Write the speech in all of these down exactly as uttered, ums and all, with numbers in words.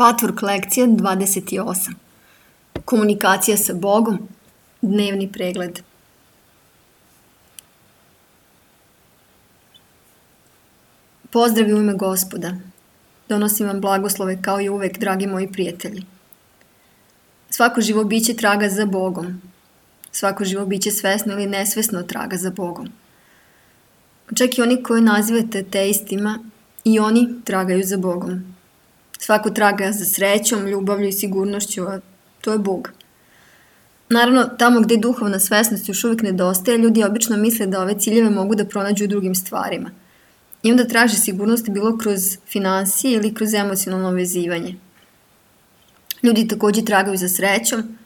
Patvork lekcija dvadeset osam. Komunikacija sa Bogom, dnevni pregled. Pozdrav u ime Gospoda. Donosim vam blagoslove kao i uvek, dragi moji prijatelji. Svako živo biće traga za Bogom. Svako živo biće svesno ili nesvesno traga za Bogom. Čak i oni koji nazivate teistima, i oni tragaju za Bogom. Svako traga za srećom, ljubavlju i sigurnošću, a to je Bog. Naravno, tamo gde duhovna svesnost još uvijek nedostaje, ljudi obično misle da ove ciljeve mogu da pronađu u drugim stvarima. I onda traže sigurnost bilo kroz finansije ili kroz emocionalno vezivanje. Ljudi takođe tragaju za srećom,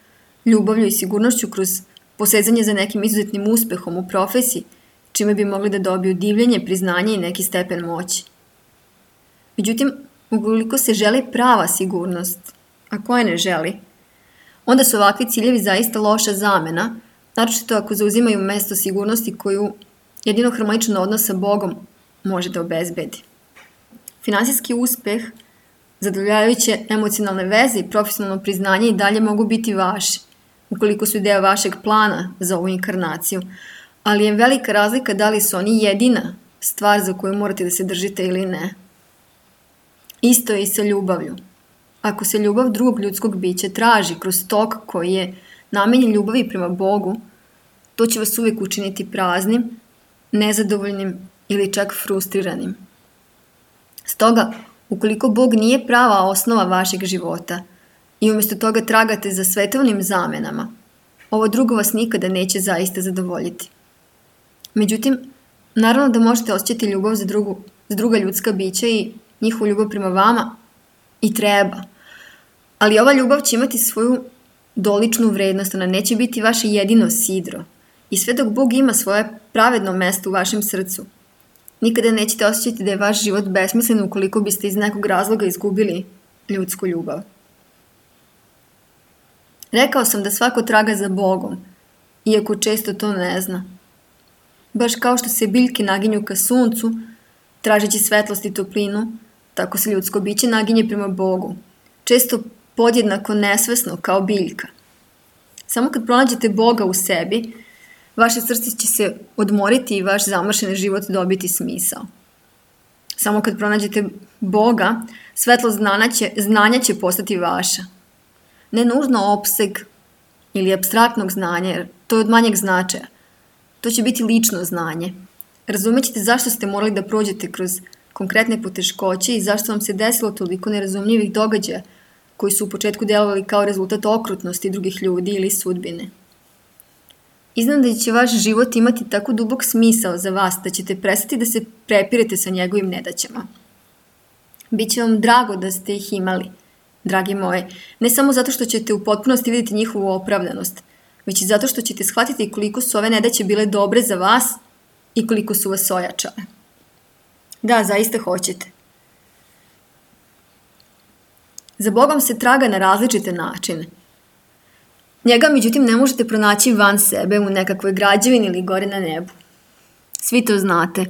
ljubavlju i sigurnošću kroz posezanje za nekim izuzetnim uspehom u profesiji, čime bi mogli da dobiju divljenje, priznanje i neki stepen moći. Međutim, ukoliko se želi prava sigurnost, a koja ne želi, onda su ovakvi ciljevi zaista loša zamena, naročito ako zauzimaju mesto sigurnosti koju jedino harmoničan odnos sa Bogom može da obezbedi. Finansijski uspeh, zadovoljavajuće emocionalne veze i profesionalno priznanje i dalje mogu biti vaši, ukoliko su deo vašeg plana za ovu inkarnaciju, ali je velika razlika da li su oni jedina stvar za koju morate da se držite ili ne. Isto je i sa ljubavlju. Ako se ljubav drugog ljudskog bića traži kroz tok koji je namenjen ljubavi prema Bogu, to će vas uvijek učiniti praznim, nezadovoljnim ili čak frustriranim. Stoga, ukoliko Bog nije prava osnova vašeg života i umjesto toga tragate za svetovnim zamenama, ovo drugo vas nikada neće zaista zadovoljiti. Međutim, naravno da možete osjećati ljubav za, drugu, za druga ljudska bića i njihovu ljubav prema vama i treba. Ali ova ljubav će imati svoju doličnu vrednost, ona neće biti vaše jedino sidro. I sve dok Bog ima svoje pravedno mesto u vašem srcu, nikada nećete osjećati da je vaš život besmislen ukoliko biste iz nekog razloga izgubili ljudsku ljubav. Rekao sam da svako traga za Bogom, iako često to ne zna. Baš kao što se biljke naginju ka suncu, tražeći svetlost i toplinu, tako se ljudsko biće naginje prema Bogu, često podjednako nesvesno kao biljka. Samo kad pronađete Boga u sebi, vaše srce će se odmoriti i vaš zamršen život dobiti smisao. Samo kad pronađete Boga, svetlost znanja će, znanja će postati vaša. Ne nužno opseg ili apstraktnog znanja, jer to je od manjeg značaja. To će biti lično znanje. Razumećete zašto ste morali da prođete kroz konkretne poteškoće i zašto vam se desilo toliko nerazumljivih događaja koji su u početku delovali kao rezultat okrutnosti drugih ljudi ili sudbine. Iznenada će vaš život imati tako dubok smisao za vas da ćete prestati da se prepirete sa njegovim nedaćama. Biće vam drago da ste ih imali, dragi moji, ne samo zato što ćete u potpunosti vidjeti njihovu opravdanost, već i zato što ćete shvatiti koliko su ove nedaće bile dobre za vas i koliko su vas ojačale. Da, zaista hoćete. Za Bogom se traga na različite načine. Njega, međutim, ne možete pronaći van sebe u nekakvoj građevini ili gore na nebu. Svi to znate.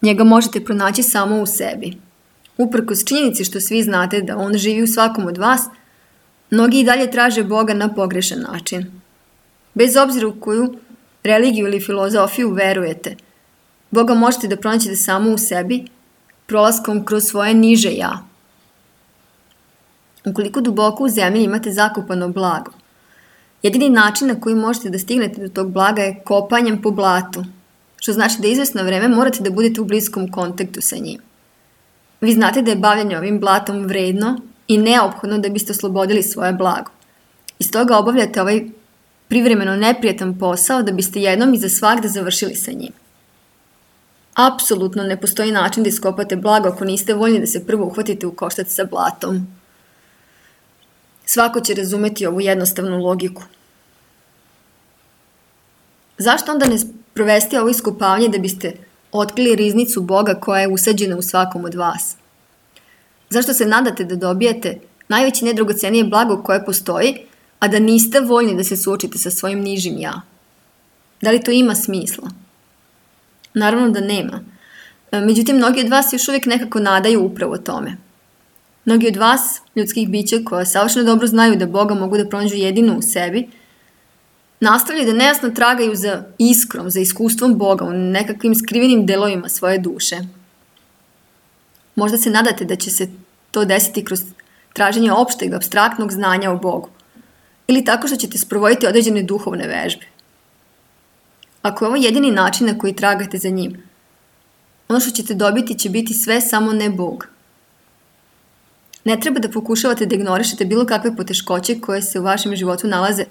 Njega možete pronaći samo u sebi. Uprkos činjenici što svi znate da on živi u svakom od vas, mnogi i dalje traže Boga na pogrešan način. Bez obzira u koju religiju ili filozofiju verujete, Boga možete da pronaćete samo u sebi, prolaskom kroz svoje niže ja. Ukoliko duboko u zemlji imate zakopano blago, jedini način na koji možete da stignete do tog blaga je kopanjem po blatu, što znači da izvesno vreme morate da budete u bliskom kontaktu sa njim. Vi znate da je bavljanje ovim blatom vredno i neophodno da biste oslobodili svoje blago. Iz toga obavljate ovaj privremeno neprijatan posao da biste jednom i za svagda završili sa njim. Apsolutno ne postoji način da iskopate blago ako niste voljni da se prvo uhvatite u koštac sa blatom. Svako će razumeti ovu jednostavnu logiku. Zašto onda ne provesti ovo iskopavanje da biste otkrili riznicu Boga koja je usađena u svakom od vas? Zašto se nadate da dobijete najveće nedragocenije blago koje postoji, a da niste voljni da se suočite sa svojim nižim ja? Da li to ima smisla? Naravno da nema. Međutim, mnogi od vas još uvijek nekako nadaju upravo tome. Mnogi od vas, ljudskih bića koja savršeno dobro znaju da Boga mogu da pronađu jedino u sebi, nastavljaju da nejasno tragaju za iskrom, za iskustvom Boga u nekakvim skrivenim delovima svoje duše. Možda se nadate da će se to desiti kroz traženje opšteg, apstraktnog znanja o Bogu ili tako što ćete sprovoditi određene duhovne vežbe. Ako je ovo jedini način na koji tragate za njim, ono što ćete dobiti će biti sve samo ne Bog. Ne treba da pokušavate da ignorišete bilo kakve poteškoće koje se u vašem životu nalaze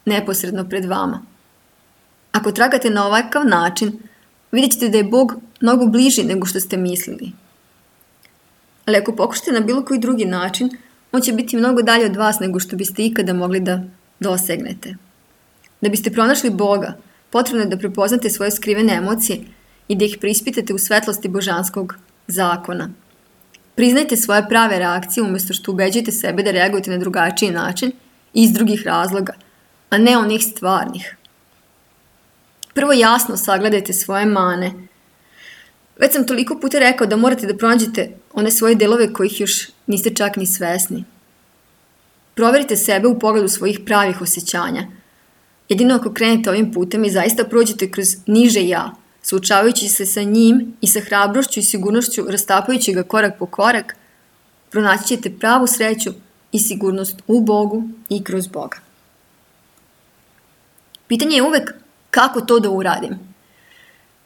neposredno pred vama. Ako tragate na ovakav način, vidjet ćete da je Bog mnogo bliži nego što ste mislili. Ali ako pokušate na bilo koji drugi način, on će biti mnogo dalje od vas nego što biste ikada mogli da dosegnete. Da biste pronašli Boga, potrebno je da prepoznate svoje skrivene emocije i da ih preispitate u svetlosti božanskog zakona. Priznajte svoje prave reakcije umjesto što ubeđujete sebe da reagujete na drugačiji način i iz drugih razloga, a ne onih stvarnih. Prvo jasno sagledajte svoje mane. Već sam toliko puta rekao da morate da pronađete one svoje delove kojih još niste čak ni svesni. Proverite sebe u pogledu svojih pravih osjećanja. Jedino ako krenete ovim putem i zaista prođete kroz niže ja, suočavajući se sa njim i sa hrabrošću i sigurnošću, rastapajući ga korak po korak, pronaći ćete pravu sreću i sigurnost u Bogu i kroz Boga. Pitanje je uvek kako to da uradim.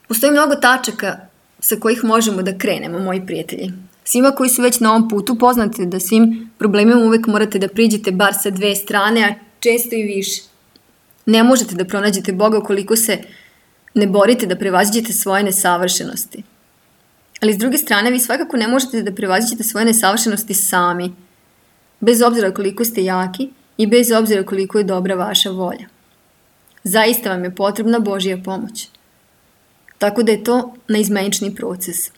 Postoji mnogo tačaka sa kojih možemo da krenemo, moji prijatelji. Svima koji su već na ovom putu poznate da svim problemima uvek morate da priđete bar sa dve strane, a često i više. Ne možete da pronađete Boga ukoliko se ne borite da prevaziđete svoje nesavršenosti. Ali s druge strane, vi svakako ne možete da prevaziđete svoje nesavršenosti sami, bez obzira koliko ste jaki i bez obzira koliko je dobra vaša volja. Zaista vam je potrebna Božja pomoć. Tako da je to neizmenični proces.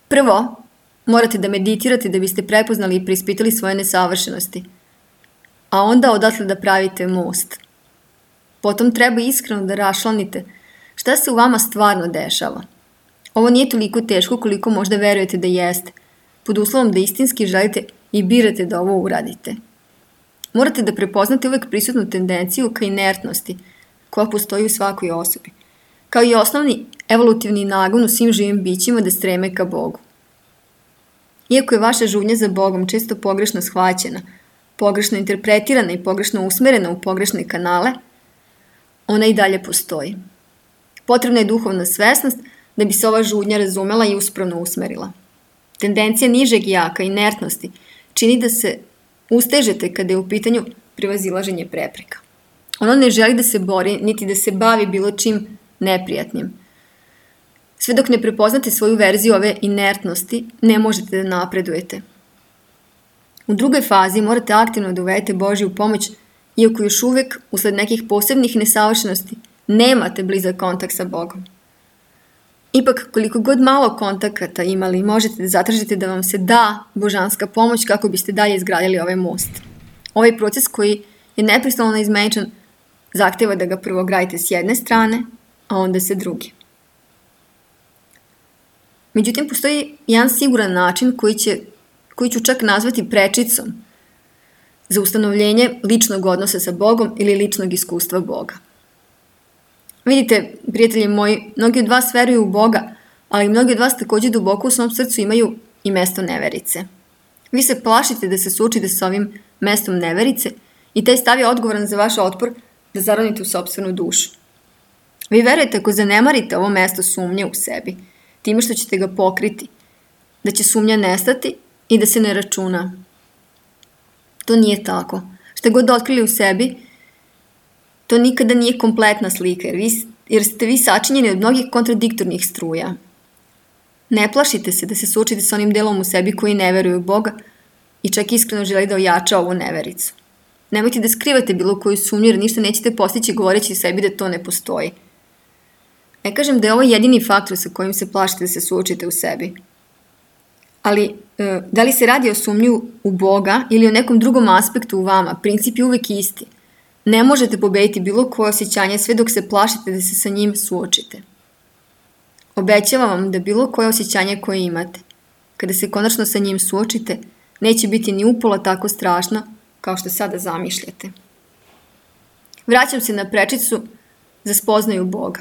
Prvo, morate da meditirate da biste prepoznali i preispitali svoje nesavršenosti, a onda odatle da pravite most. Potom treba iskreno da raščlanite šta se u vama stvarno dešava. Ovo nije toliko teško koliko možda verujete da jeste, pod uslovom da istinski želite i birate da ovo uradite. Morate da prepoznate uvek prisutnu tendenciju ka inertnosti koja postoji u svakoj osobi, kao i osnovni evolutivni nagon u svim živim bićima da streme ka Bogu. Iako je vaša žudnja za Bogom često pogrešno shvaćena, pogrešno interpretirana i pogrešno usmerena u pogrešne kanale, ona i dalje postoji. Potrebna je duhovna svesnost da bi se ova žudnja razumela i uspravno usmerila. Tendencija nižeg jaka, inertnosti, čini da se ustežete kada je u pitanju prevazilaženje prepreka. Ono ne želi da se bori, niti da se bavi bilo čim neprijatnim. Sve dok ne prepoznate svoju verziju ove inertnosti, ne možete da napredujete. U drugoj fazi morate aktivno da uvedete Božju pomoć, iako još uvek, usled nekih posebnih nesavršenosti, nemate blizak kontakt sa Bogom. Ipak, koliko god malo kontakata imali, možete da zatražite da vam se da božanska pomoć kako biste dalje izgradili ovaj most. Ovaj proces koji je neprestano neizmeničan zahteva da ga prvo gradite s jedne strane, a onda sa druge. Međutim, postoji jedan siguran način koji, će, koji ću čak nazvati prečicom za ustanovljenje ličnog odnosa sa Bogom ili ličnog iskustva Boga. Vidite, prijatelji moji, mnogi od vas veruju u Boga, ali mnogi od vas također duboko u svom srcu imaju i mesto neverice. Vi se plašite da se suočite sa ovim mestom neverice i taj stav je odgovoran za vaš otpor da zaronite u sopstvenu dušu. Vi verujete ako zanemarite ovo mesto sumnje u sebi, time što ćete ga pokriti, da će sumnja nestati i da se ne računa. To nije tako. Šta god otkrili u sebi, to nikada nije kompletna slika, jer, vi, jer ste vi sačinjeni od mnogih kontradiktornih struja. Ne plašite se da se suočite sa onim delom u sebi koji ne veruje u Boga i čak iskreno želi da ojača ovu nevericu. Nemojte da skrivate bilo koju sumnju, jer ništa nećete postići govoreći sebi da to ne postoji. Ne kažem da je ovo jedini faktor sa kojim se plašite da se suočite u sebi. Ali, da li se radi o sumnju u Boga ili o nekom drugom aspektu u vama, princip je uvek isti. Ne možete pobediti bilo koje osjećanje sve dok se plašite da se sa njim suočite. Obećavam vam da bilo koje osjećanje koje imate, kada se konačno sa njim suočite, neće biti ni upola tako strašno kao što sada zamišljate. Vraćam se na prečicu za spoznaju Boga.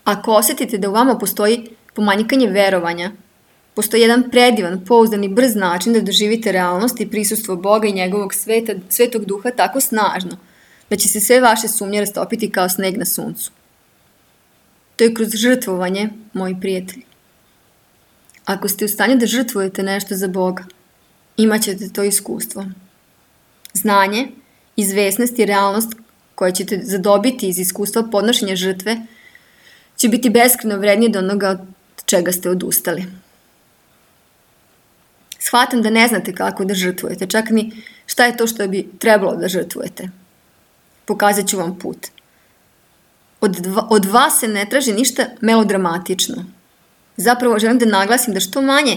Ako osjetite da u vama postoji pomanjkanje verovanja, postoji jedan predivan, pouzdan i brz način da doživite realnost i prisustvo Boga i njegovog sveta, svetog duha tako snažno, da će se sve vaše sumnje rastopiti kao sneg na suncu. To je kroz žrtvovanje, moji prijatelji. Ako ste u stanju da žrtvujete nešto za Boga, imat ćete to iskustvo. Znanje, izvesnost i realnost koje ćete zadobiti iz iskustva podnošenja žrtve će biti beskrajno vrednije od onoga od čega ste odustali. Shvatam da ne znate kako da žrtvujete, čak ni šta je to što bi trebalo da žrtvujete. Pokazat ću vam put. Od, dva, od vas se ne traži ništa melodramatično. Zapravo želim da naglasim da što manje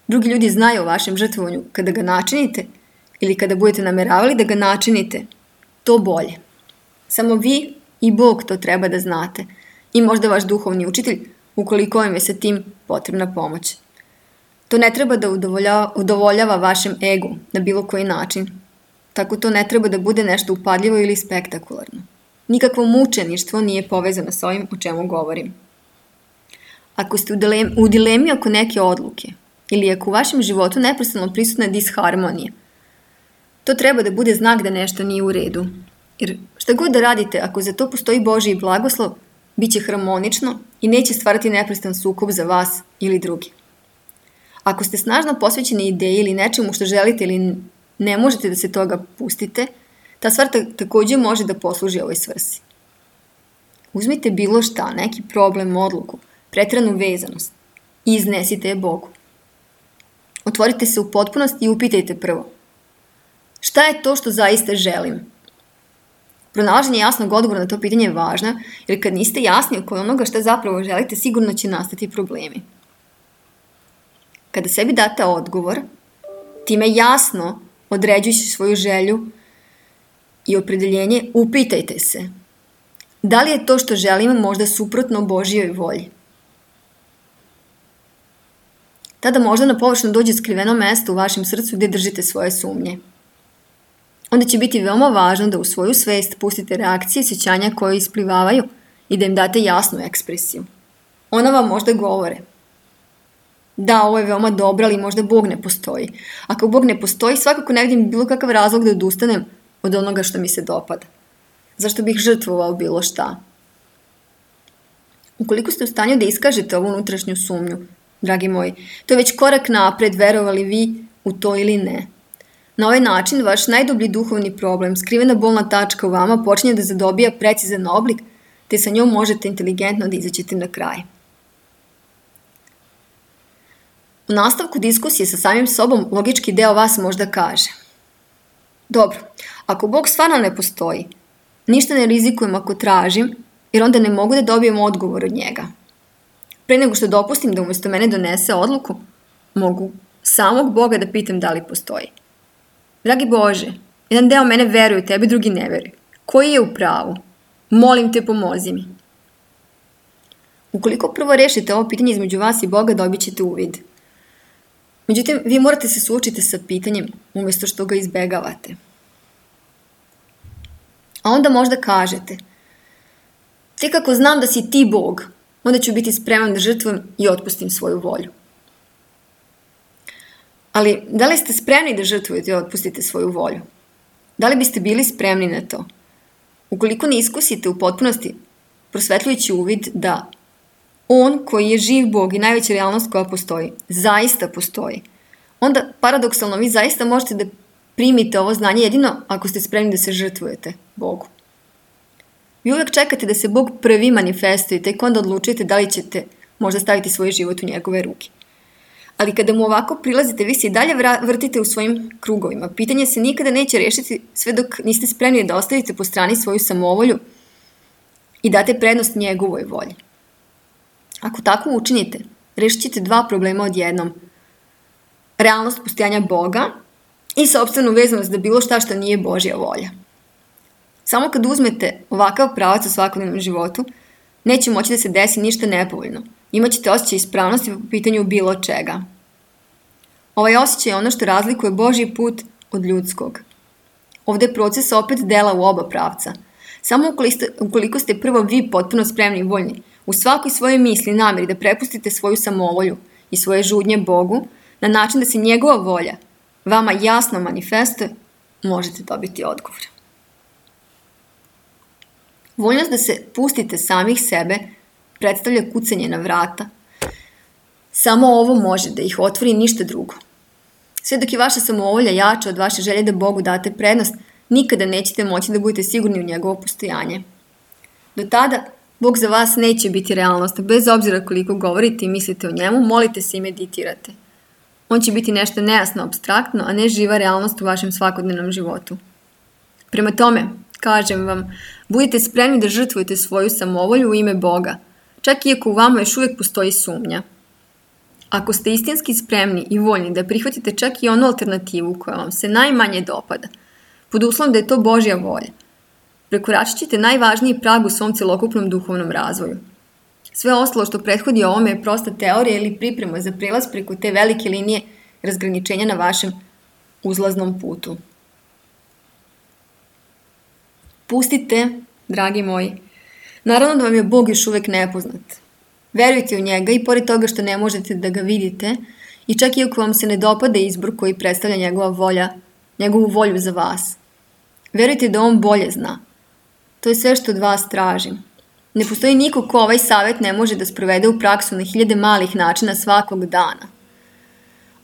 drugi ljudi znaju o vašem žrtvovanju kada ga načinite ili kada budete nameravali da ga načinite, to bolje. Samo vi i Bog to treba da znate i možda vaš duhovni učitelj ukoliko vam je sa tim potrebna pomoć. To ne treba da udovoljava, udovoljava vašem egu na bilo koji način. Tako to ne treba da bude nešto upadljivo ili spektakularno. Nikakvo mučeništvo nije povezano sa ovim o čemu govorim. Ako ste u dilemi, u dilemi oko neke odluke ili ako u vašem životu neprestano prisutna disharmonija, to treba da bude znak da nešto nije u redu. Jer šta god da radite, ako za to postoji Božji blagoslov, bit će harmonično i neće stvarati neprestan sukob za vas ili drugi. Ako ste snažno posvećeni ideji ili nečemu što želite ili ne možete da se toga pustite, ta stvar također može da posluži ovoj svrsi. Uzmite bilo šta, neki problem, odluku, preteranu vezanost i iznesite je Bogu. Otvorite se u potpunosti i upitajte prvo. Šta je to što zaista želim? Pronalaženje jasnog odgovora na to pitanje je važno, jer kad niste jasni oko onoga šta zapravo želite, sigurno će nastati problemi. Kada sebi date odgovor, time jasno određujući svoju želju i opredeljenje, upitajte se. Da li je to što želim možda suprotno Božjoj volji? Tada možda na površinu dođe skriveno mesto u vašem srcu gdje držite svoje sumnje. Onda će biti veoma važno da u svoju svest pustite reakcije i sjećanja koje isplivavaju i da im date jasnu ekspresiju. Ona vam možda govore. Da, ovo je veoma dobro, ali možda Bog ne postoji. Ako Bog ne postoji, svakako ne vidim bilo kakav razlog da odustanem od onoga što mi se dopada. Zašto bih žrtvovao bilo šta? Ukoliko ste u stanju da iskažete ovu unutrašnju sumnju, dragi moji, to je već korak napred, verovali vi u to ili ne. Na ovaj način, vaš najdublji duhovni problem, skrivena bolna tačka u vama, počinje da zadobija precizan oblik, te sa njom možete inteligentno da izađete na kraj. U nastavku diskusije sa samim sobom, logički deo vas možda kaže: dobro, ako Bog stvarno ne postoji, ništa ne rizikujem ako tražim, jer onda ne mogu da dobijem odgovor od njega. Pre nego što dopustim da umjesto mene donese odluku, mogu samog Boga da pitam da li postoji. Dragi Bože, jedan deo mene veruje, tebi drugi ne veruje. Koji je u pravu? Molim te, pomozi mi. Ukoliko prvo rešite ovo pitanje između vas i Boga, dobit ćete uvid. Međutim, vi morate se suočiti sa pitanjem umjesto što ga izbegavate. A onda možda kažete: tek ako znam da si ti Bog, onda ću biti spreman da žrtvujem i otpustim svoju volju. Ali da li ste spremni da žrtvujete i otpustite svoju volju? Da li biste bili spremni na to? Ukoliko ne iskusite u potpunosti prosvetljujući uvid da On koji je živ Bog i najveća realnost koja postoji, zaista postoji, onda paradoksalno vi zaista možete da primite ovo znanje jedino ako ste spremni da se žrtvujete Bogu. Vi uvijek čekate da se Bog prvi manifestuje i tek onda odlučite da li ćete možda staviti svoj život u njegove ruke. Ali kada mu ovako prilazite, vi se i dalje vrtite u svojim krugovima. Pitanje se nikada neće rešiti sve dok niste spremni da ostavite po strani svoju samovolju i date prednost njegovoj volji. Ako tako učinite, rešit ćete dva problema odjednom. Realnost postojanja Boga i sopstvenu vezanost da bilo šta što nije Božja volja. Samo kad uzmete ovakav pravac u svakodnevnom životu, neće moći da se desi ništa nepovoljno. Imaćete osjećaj ispravnosti po pitanju bilo čega. Ovaj osjećaj je ono što razlikuje Božji put od ljudskog. Ovdje je proces opet dela u oba pravca. Samo ukoliko ste prvo vi potpuno spremni i voljni, u svakoj svojoj misli i namjeri da prepustite svoju samovolju i svoje žudnje Bogu, na način da se njegova volja vama jasno manifestuje, možete dobiti odgovor. Voljnost da se pustite samih sebe predstavlja kucanje na vrata. Samo ovo može da ih otvori i ništa drugo. Sve dok je vaša samovolja jača od vaše želje da Bogu date prednost, nikada nećete moći da budete sigurni u njegovo postojanje. Do tada, Bog za vas neće biti realnost, bez obzira koliko govorite i mislite o njemu, molite se i meditirate. On će biti nešto nejasno, apstraktno, a ne živa realnost u vašem svakodnevnom životu. Prema tome, kažem vam, budite spremni da žrtvujete svoju samovolju u ime Boga, čak iako u vama još uvijek postoji sumnja. Ako ste istinski spremni i voljni da prihvatite čak i onu alternativu koja vam se najmanje dopada, pod uslovom da je to Božja volja, prekoračit ćete najvažniji prag u svom celokupnom duhovnom razvoju. Sve ostalo što prethodi ovome je prosta teorija ili priprema za prelaz preko te velike linije razgraničenja na vašem uzlaznom putu. Pustite, dragi moji. Naravno da vam je Bog još uvijek nepoznat. Verujte u njega i pored toga što ne možete da ga vidite i čak i ako vam se ne dopada izbor koji predstavlja njegova volja, njegovu volju za vas. Verujte da on bolje zna. To je sve što od vas tražim. Ne postoji niko ko ovaj savjet ne može da sprovede u praksu na hiljade malih načina svakog dana.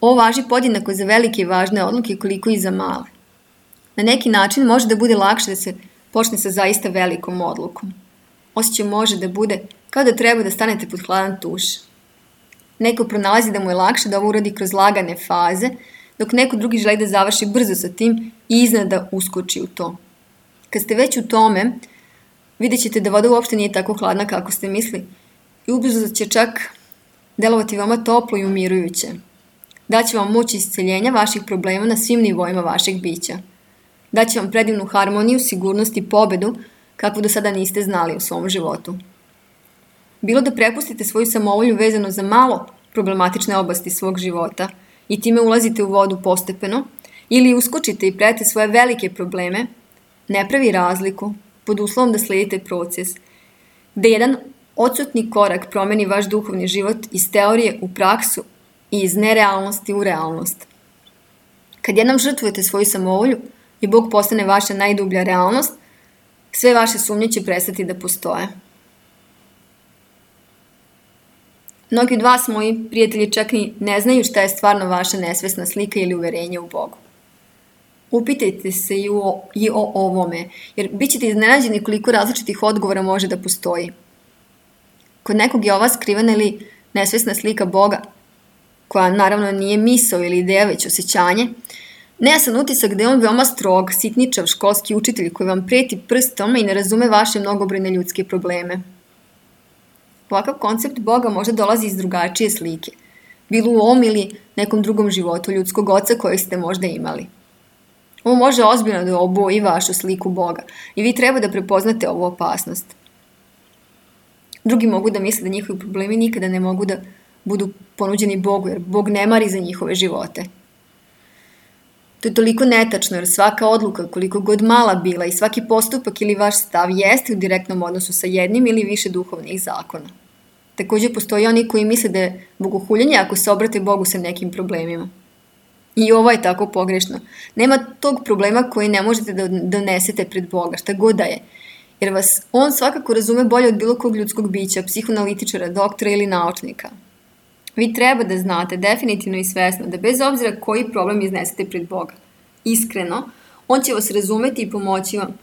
Ovo važi podjednako za velike i važne odluke koliko i za male. Na neki način može da bude lakše da se počne sa zaista velikom odlukom. Osjećaj može da bude kao da treba da stanete pod hladan tuš. Neko pronalazi da mu je lakše da ovo uradi kroz lagane faze, dok neko drugi želi da završi brzo sa tim i iznenada uskoči u to. Kad ste već u tome, vidjet ćete da voda uopšte nije tako hladna kako ste misli i ubrzo će čak delovati vama toplo i umirujuće. Daće vam moć isceljenja vaših problema na svim nivoima vašeg bića. Daće vam predivnu harmoniju, sigurnost i pobedu kakvu do sada niste znali u svom životu. Bilo da prepustite svoju samovolju vezano za malo problematične oblasti svog života i time ulazite u vodu postepeno, ili uskočite i prete svoje velike probleme, ne pravi razliku pod uslovom da slijedite proces, gde jedan odsutni korak promeni vaš duhovni život iz teorije u praksu i iz nerealnosti u realnost. Kad jednom žrtvujete svoju samovolju i Bog postane vaša najdublja realnost, sve vaše sumnje će prestati da postoje. Mnogi od vas, moji prijatelji, čak i ne znaju šta je stvarno vaša nesvesna slika ili uverenje u Bogu. Upitajte se i o, i o ovome, jer bit ćete iznenađeni koliko različitih odgovora može da postoji. Kod nekog je ova skrivena ili nesvesna slika Boga, koja naravno nije misao ili ideja, već osjećanje, nejasan utisak da je on veoma strog, sitničav školski učitelj koji vam preti prstom i ne razume vaše mnogobrojne ljudske probleme. Ovakav koncept Boga možda dolazi iz drugačije slike, bilo u ovom ili nekom drugom životu ljudskog oca kojeg ste možda imali. Ovo može ozbiljno da oboji vašu sliku Boga i vi treba da prepoznate ovu opasnost. Drugi mogu da misle da njihovi problemi nikada ne mogu da budu ponuđeni Bogu, jer Bog ne mari za njihove živote. To je toliko netačno, jer svaka odluka, koliko god mala bila, i svaki postupak ili vaš stav jeste u direktnom odnosu sa jednim ili više duhovnih zakona. Također postoji oni koji misle da je bogohuljenje ako se obrate Bogu sa nekim problemima. I ovo je tako pogrešno. Nema tog problema koji ne možete da donesete pred Boga, šta god da je. Jer vas on svakako razume bolje od bilo kog ljudskog bića, psihoanalitičara, doktora ili naučnika. Vi treba da znate definitivno i svesno da bez obzira koji problem iznesete pred Boga, iskreno, on će vas razumeti i pomoći vam,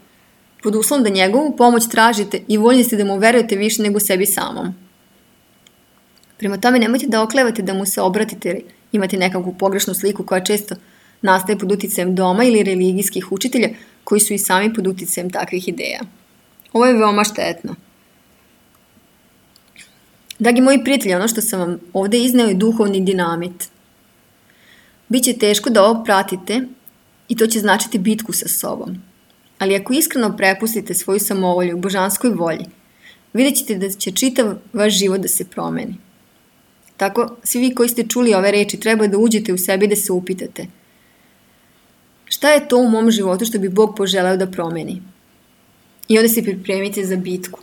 pod uslovom da njegovu pomoć tražite i voljni ste da mu verujete više nego sebi samom. Prema tome nemojte da oklevate da mu se obratite jer imate nekakvu pogrešnu sliku koja često nastaje pod uticajem doma ili religijskih učitelja koji su i sami pod uticajem takvih ideja. Ovo je veoma štetno. Dragi moji prijatelji, ono što sam vam ovdje izneo je duhovni dinamit. Biće teško da ovo pratite i to će značiti bitku sa sobom. Ali ako iskreno prepustite svoju samovolju u božanskoj volji, vidjet ćete da će čitav vaš život da se promeni. Tako, svi vi koji ste čuli ove reči treba da uđete u sebi i da se upitate. Šta je to u mom životu što bi Bog poželeo da promeni? I onda se pripremite za bitku.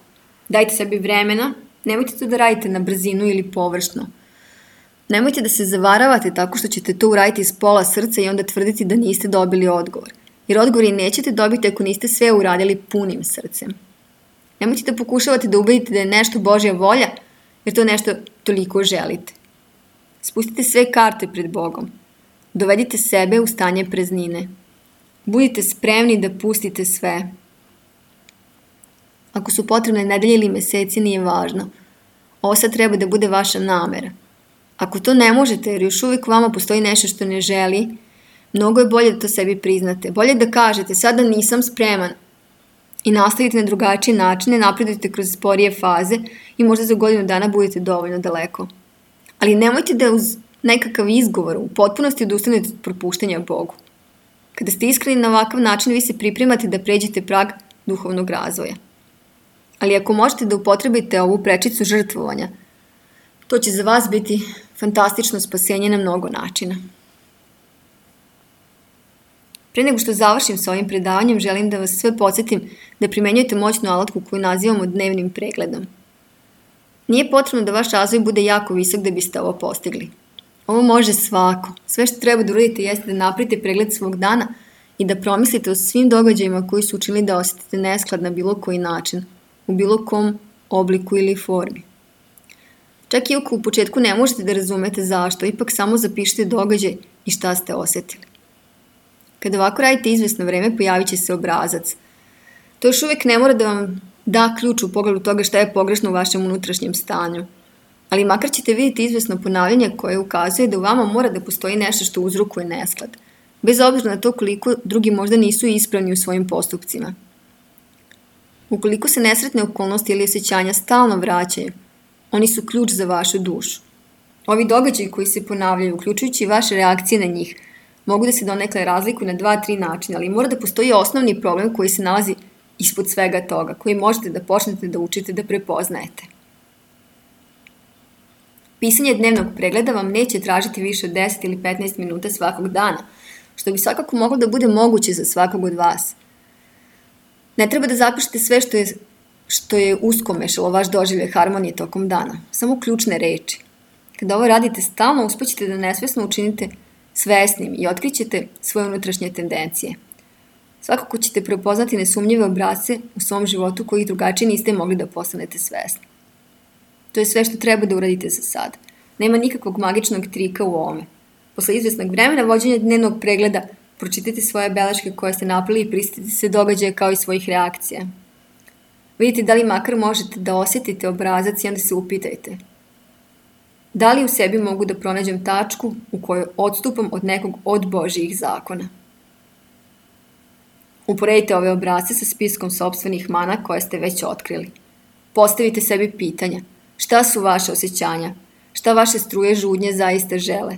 Dajte sebi vremena, nemojte to da radite na brzinu ili površno. Nemojte da se zavaravate tako što ćete to uraditi iz pola srca i onda tvrditi da niste dobili odgovor. Jer odgovori nećete dobiti ako niste sve uradili punim srcem. Nemojte da pokušavate da ubedite da je nešto Božja volja, jer to nešto toliko želite. Spustite sve karte pred Bogom. Dovedite sebe u stanje praznine. Budite spremni da pustite sve. Ako su potrebne nedelje ili meseci, nije važno. Ovo sad treba da bude vaša namera. Ako to ne možete, jer još uvijek vama postoji nešto što ne želi, mnogo je bolje da to sebi priznate. Bolje da kažete, sada nisam spreman i nastavite na drugačije načine, napredujete kroz sporije faze i možda za godinu dana budete dovoljno daleko. Ali nemojte da uz nekakav izgovor u potpunosti odustanete od propuštanja Bogu. Kada ste iskreni na ovakav način, vi se pripremate da pređete prag duhovnog razvoja. Ali ako možete da upotrebite ovu prečicu žrtvovanja, to će za vas biti fantastično spasenje na mnogo načina. Pre nego što završim sa ovim predavanjem, želim da vas sve podsjetim da primenjujete moćnu alatku koju nazivamo dnevnim pregledom. Nije potrebno da vaš razvoj bude jako visok da biste ovo postigli. Ovo može svako. Sve što treba da uradite jeste da napravite pregled svog dana i da promislite o svim događajima koji su učinili da osetite nesklad na bilo koji način, u bilo kom obliku ili formi. Čak i ako u početku ne možete da razumete zašto, ipak samo zapišite događaj i šta ste osetili. Kada ovako radite izvesno vreme, pojavit će se obrazac. To još uvijek ne mora da vam da ključ u pogledu toga šta je pogrešno u vašem unutrašnjem stanju. Ali makar ćete vidjeti izvesno ponavljanje koje ukazuje da u vama mora da postoji nešto što uzrokuje nesklad, bez obzira na to koliko drugi možda nisu ispravni u svojim postupcima. Ukoliko se nesretne okolnosti ili osjećanja stalno vraćaju, oni su ključ za vašu dušu. Ovi događaji koji se ponavljaju, uključujući vaše reakcije na njih, mogu da se donekle razlikuju na dva, tri načina, ali mora da postoji osnovni problem koji se nalazi ispod svega toga, koji možete da počnete da učite da prepoznajete. Pisanje dnevnog pregleda vam neće tražiti više od deset ili petnaest minuta svakog dana, što bi svakako moglo da bude moguće za svakog od vas. Ne treba da zapišete sve što je, što je uskomešalo vaš doživljaj harmonije tokom dana, samo ključne reči. Kada ovo radite stalno, uspećete da nesvesno učinite svesnim i otkrićete svoje unutrašnje tendencije. Svakako ćete prepoznati nesumnjive obrasce u svom životu koji drugačije niste mogli da postanete svesni. To je sve što treba da uradite za sad. Nema nikakvog magičnog trika u ovome. Posle izvesnog vremena vođenja dnevnog pregleda, pročitajte svoje beleške koje ste napravili i prisjetite se događaja kao i svojih reakcija. Vidite da li makar možete da osjetite obrazac i onda se upitajte. Da li u sebi mogu da pronađem tačku u kojoj odstupam od nekog od Božjih zakona? Uporedite ove obrazce sa spiskom sopstvenih mana koje ste već otkrili. Postavite sebi pitanja. Šta su vaše osjećanja? Šta vaše struje žudnje zaista žele?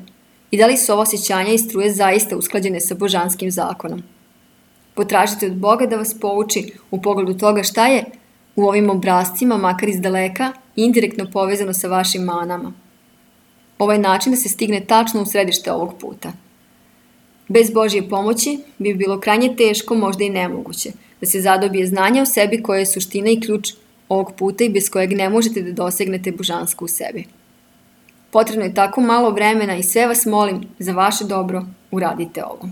I da li su ova osjećanja i struje zaista usklađene sa božanskim zakonom? Potražite od Boga da vas pouči u pogledu toga šta je u ovim obrascima, makar iz daleka, indirektno povezano sa vašim manama. Ovaj način da se stigne tačno u središte ovog puta. Bez Božje pomoći bi bilo krajnje teško, možda i nemoguće, da se zadobije znanje o sebi koje je suština i ključ ovog puta i bez kojeg ne možete da dosegnete božansko u sebi. Potrebno je tako malo vremena i sve vas molim, za vaše dobro, uradite ovo.